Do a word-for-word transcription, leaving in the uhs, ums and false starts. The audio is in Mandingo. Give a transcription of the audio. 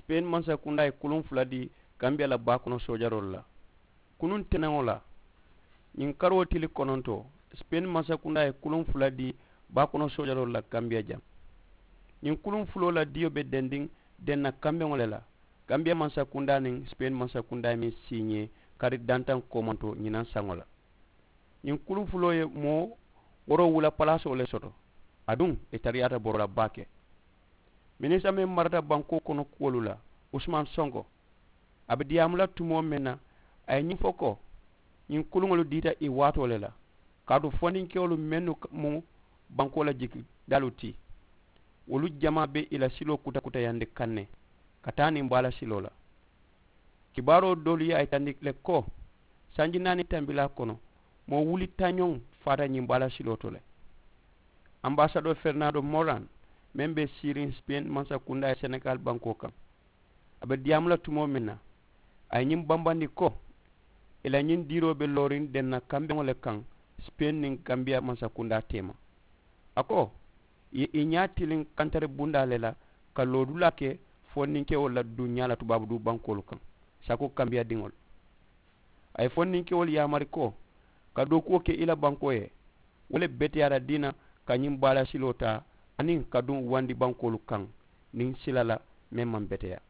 Sipeeni mansakundaa ye kuluŋ fula dii kambiya la baa kono soojaroolu la. Kunuŋ teneŋo la, ñiŋ karoo tili konontoo, sipeeni mansakundaa ye kuluŋ fula dii baa kono soojaroolu la kambiya jaŋ. Ñiŋ kuluŋ fuloo la diyo be dendiŋ denna kambeŋo le la. Kambiya mansakundaa niŋ sipeeni mansakundaa ye meŋ siiñee kari dantaŋ koomanto ñinaŋ saŋo la. Ñiŋ kuluŋ fuloo ye moo woroo wula palaasoo le soto. Aduŋ ì tariyaata boro la baake. Minisita meŋ marata bankoo kono kuwolu la, usumaani sonko, a be diyaamu la tumoo meŋ na, a ye ñiŋ fo ko, ñiŋ kuluŋolu diita ì waatoo le la. Kaatu fondinkewolu mennu mu bankoo la jikidaalu ti, wolu jamaa be ì la siloo kutakutayandi kaŋ ne ka taa niŋ baala siloo la. Kibaaroo doolu ye a yitandi le ko, sanji naani tambilaa kono, moo wuli tañoŋ faata ñiŋ baala siloo to le. Ambaasadoo ferinaado moran, meŋ be siiriŋ sipeeni mansakundaa ye senegaali bankoo kaŋ, a be diyaamu la tumoo meŋ na, a ye ñiŋ bambandi ko, ì la ñiŋ diiroo be looriŋ denna kambeŋo le kaŋ, sipeeni niŋ kambiya mansakundaa teema. A ko, ì ye ì ñaa tiliŋ kantari bundaa le la ka loodulaa ke fondinkewolu la duñaa la tubaabu duu bankoolu kaŋ, saakoo kambiya diŋolu. A ye fondinkewolu yaamari ko, ka dookuwo ke ì la bankoo ye, wo le beteyaata dii na ka ñiŋ baala siloo taa aniŋ ka duŋ wandi bankoolu kaŋ niŋ sila la meŋ maŋ beteyaa.